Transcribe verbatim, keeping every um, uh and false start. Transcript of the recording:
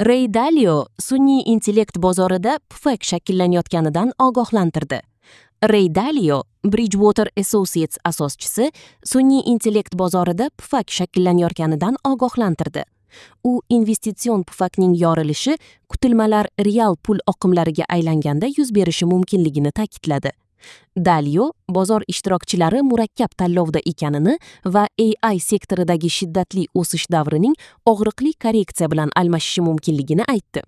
Rey Dalio sun'iy intellekt bozorida pufak shakllanayotganidan ogohlantirdi. Rey Dalio, Bridgewater Associates asoschisi, sun'iy intellekt bozorida pufak shakllanayotganidan ogohlantirdi. U investitsion pufakning yorilishi kutilmalar real pul oqimlariga aylanganda yuz berishi mumkinligini ta'kidladi. Dalio bozor ishtirokchilari murakkab tanlovda ekanini va A I sektoridagi shiddatli o'sish davrining og'riqli korreksiya bilan almashishi mumkinligini aytdi.